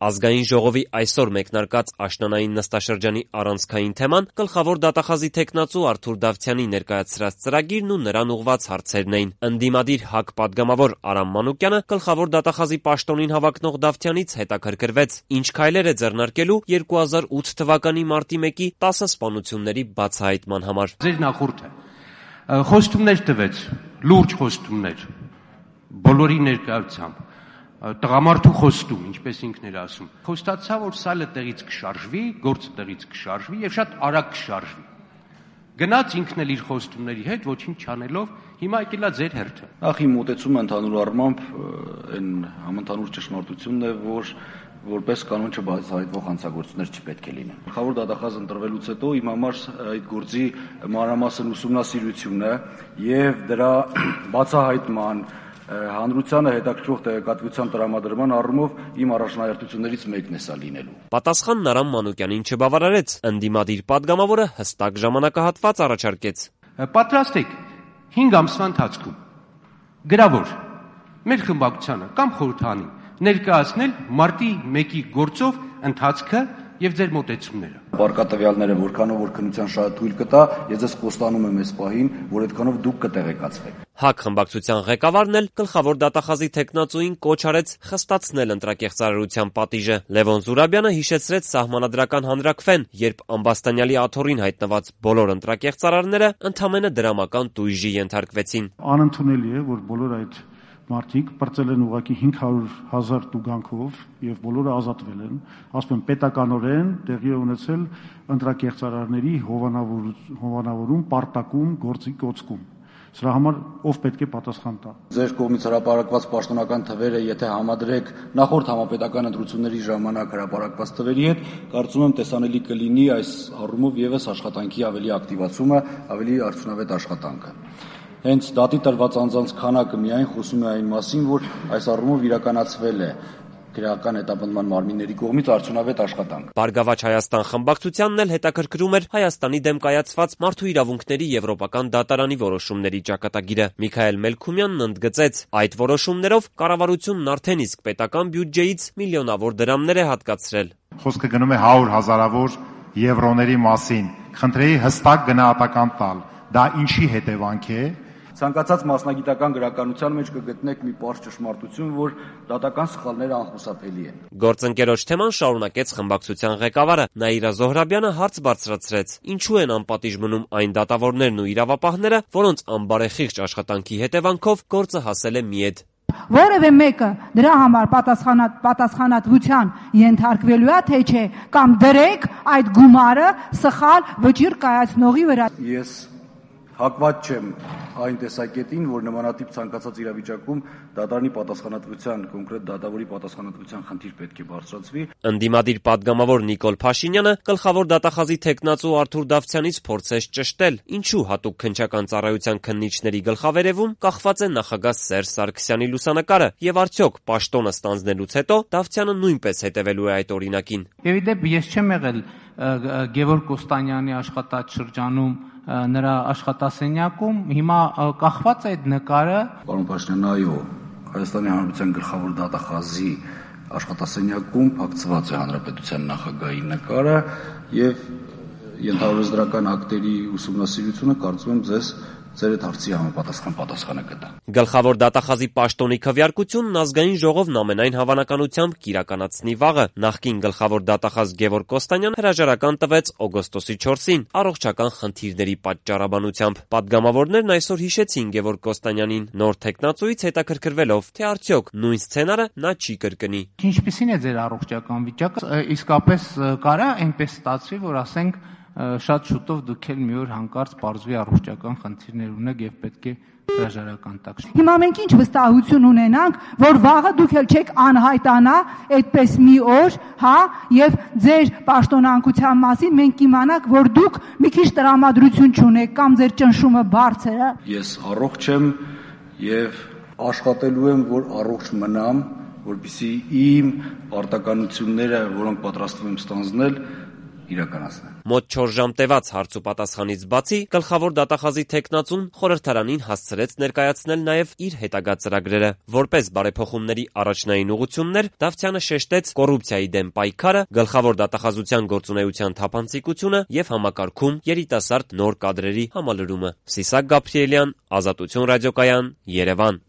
Ազգային ժողովի այսօր մեկնարկած աշնանային նստաշրջանի առանցքային թեման գլխավոր դատախազի թեկնածու Արթուր Դավթյանի ներկայացրած ծրագիրն ու նրան ուղղված հարցերն էին։ Ընդդիմադիր ՀԱԿ պատգամավոր Արամ Մանուկյանը գլխավոր դատախազի պաշտոնին հավակնող Դավթյանից հետաքրքրվեց, ինչ քայլեր է ձեռնարկելու 2008 թվականի մարտի 1-ի 10 սպանությունների բացահայտման համար։ Ձեր նախորդը խոստումներ տվեց, լուրջ խոստումներ, բոլորի ներկայությամբ, տղամարդու խոստում, ինչպես ինքն էր ասում, խոստացա, որ սալը տեղից կշարժվի, գործը տեղից կշարժվի եւ շատ արագ կշարժվի։ Գնաց ինքն էլ իր խոստումների հետ, ոչինչ չանելով, հիմա եկելա ձեր հերթը։ Նախ իմ մոտեցումը ընդհանուր առմամբ այն համընդհանուր ճշմարտությունն է, որ որպես կանոն չբացահայտվող հանցագործություններ չպետք է լինեն։ Գլխավոր դատախազ ընտրվելուց հետո իմ համար այդ գործի մանրամասն ուսումնասիրությունը եւ դրա բացահայտման հանրությանը հետաքրքրող տեղեկատվության տրամադրման առումով իմ առաջնահերթություններից մեկն է սա լինելու։ Պատասխանն Արամ Մանուկյանին չբավարարեց, ընդդիմադիր պատգամավորը հստակ ժամանակահատված առաջարկեց։ Պատրաստ եք 5 ամսվա ընթացքում գրավոր մեր խմբակցությանը կամ խորհրդանին ներկայացնել մարտի 1-ի գործով ընթացքը եւ ձեր մոտեցումները։ Բարգատվյալները որքանով որ քննության շատ թույլ կտա, ես ձեզ խոստանում եմ այս պահին, որ այդքանով դուք կտեղեկացվեք։ ՀԱԿ խմբակցության ղեկավարն էլ գլխավոր դատախազի թեկնածուին կոչ արեց խստացնել ընտրակեղծարարության պատիժը։ Լևոն Զուրաբյանը հիշեցրեց սահմանադրական հանրաքվեն, երբ Ամբաստանյալի աթոռին հայտնված բոլոր ընտրակեղծարարները ընդամենը դրամական տույժի ենթարկվեցին։ Անընդունելի է, որ բոլոր այդ մարդիկ պրծել են ուղղակի 500,000 տուգանքով եւ բոլորը ազատվել են, ասում եմ պետականորեն տեղի է ունեցել ընտրակեղծարարների հովանավորում, պարտակում, գործի կոծկում։ Սրա համար ով պետք է պատասխան տա։ Ձեր կողմից հրապարակված պաշտոնական թվերը, եթե համադրեք նախորդ համապետական ընտրությունների ժամանակ հրապարակված թվերի հետ, կարծում եմ տեսանելի կլինի այս առումով եւս աշխատանքի ավելի ակտիվացումը, ավելի արդյունավետ աշխատանքը։ Հենց դատի տրված անձանց քանակը միայն խոսում է այն մասին, որ այս առումով իրականացվել է քրեական հետապնդման մարմինների կողմից արդյունավետ աշխատանք։ Բարգավաճ Հայաստան խմբակցությանն էլ հետաքրքրում էր Հայաստանի դեմ կայացված մարդու իրավունքների եվրոպական դատարանի որոշումների ճակատագիրը։ Միքայել Մելքումյանն ընդգծեց, այդ որոշումներով կառավարությունն արդեն իսկ պետական բյուջեից միլիոնավոր դրամներ է հատկացրել։ Խոսքը գնում է 100,000-ավոր եվրոների մասին։ Խնդրեի հստակ գնահատական տալ։ Դա ինչի հետևանք է։ Ցանկացած մասնագիտական գրականության մեջ կգտնեք մի պարզ ճշմարտություն, որ դատական սխալները անխուսափելի են։ Գործընկերոջ թեման շարունակեց խմբակցության ղեկավարը։ Նաիրա Զոհրաբյանը հարց բարձրացրեց. ինչու են անպատիժ մնում այն դատավորներն ու իրավապահները, որոնց անբարեխիղճ աշխատանքի հետևանքով գործը հասել է մի էդ։ Որևէ մեկը դրա համար պատասխանատվության ենթարկվելու է, թե չէ, կամ դրեք այդ գումարը սխալ վճիռ կայացնողի վրա։ Ես հակված չեմ այն տեսակետին, որ նմանատիպ ցանկացած իրավիճակում դատարանի պատասխանատվության, կոնկրետ դատավորի պատասխանատվության խնդիր պետք է բարձրացվի։ Ընդդիմադիր պատգամավոր Նիկոլ Փաշինյանը գլխավոր դատախազի թեկնածու Արթուր Դավթյանից փորձեց ճշտել, ինչու հատուկ քննչական ծառայության քննիչների գլխավերևում կախված է նախագահ Սերժ Սարգսյանի լուսանկարը, եւ արդյոք պաշտոնը ստանձնելուց հետո Դավթյանը նույնպես հետևելու է այդ օրինակին։ Եվ իդեպ ես չեմ եղել Գևորգ Կոստանյանի աշխատած շրջանում նրա աշխատասենյակում, հիմա կախված է այդ նկարը։ Պարոն Փաշինյան, այո, Հայաստանի Հանրապետության գլխավոր դատախազի աշխատասենյակում փակցված է հանրապետության նախագահի նկարը եւ ենթարարժեզրական ակտերի ուսումնասիրությունը կարծում եմ ձեզ ձեր այդ հարցի համապատասխան պատասխանը կտա։ Գլխավոր դատախազի պաշտոնի քվեարկությունն ազգային ժողովն ամենայն հավանականությամբ կիրականացնի վաղը։ Նախկին գլխավոր դատախազ Գևորգ Կոստանյանը հրաժարական տվեց օգոստոսի 4-ին առողջական խնդիրների պատճառաբանությամբ։ Պատգամավորներն այսօր հիշեցին Գևորգ Կոստանյանին, նոր թեկնածուից հետաքրքրվելով, թե արդյոք նույն սցենարը նա չի կրկնի։ Ինչպիսին է ձեր առողջական վիճակը։ Իսկապես կարա այնպես ստացվի, որ ասենք շատ շուտով դուք էլ մի օր հանկարծ բարձվի առողջական խնդիրներ ունեք եւ պետք է հրաժարական տաք։ Հիմա մենք ինչ վստահություն ունենանք, որ վաղը դուք էլ չեք անհայտանա այդպես մի օր, հա, եւ ձեր պաշտոնանկության մասին մենք իմանանք, որ դուք մի քիչ տրամադրություն չունեք կամ ձեր ճնշումը բարձր է։ Ես առողջ եմ եւ աշխատելու եմ, որ առողջ մնամ, որպեսզի իմ պարտականությունները, որոնք պատրաստվում եմ ստանձնել, իրականացնել։ Մոտ 4 ժամ տևած հարց ու պատասխանից բացի գլխավոր դատախազի տեխնացուն խորհրդարանին հասցրեց ներկայացնել նաև իր հետագա ծրագրերը։ Որպես բարեփոխումների առաջնային ուղղություններ Դավթյանը շեշտեց կոռուպցիայի դեմ պայքարը, գլխավոր դատախազության գործունեության թափանցիկությունը եւ համակարգում երիտասարդ նոր կադրերի համալրումը։ Սիսակ Գաբրիելյան, Ազատություն ռադիոկայան, Երևան։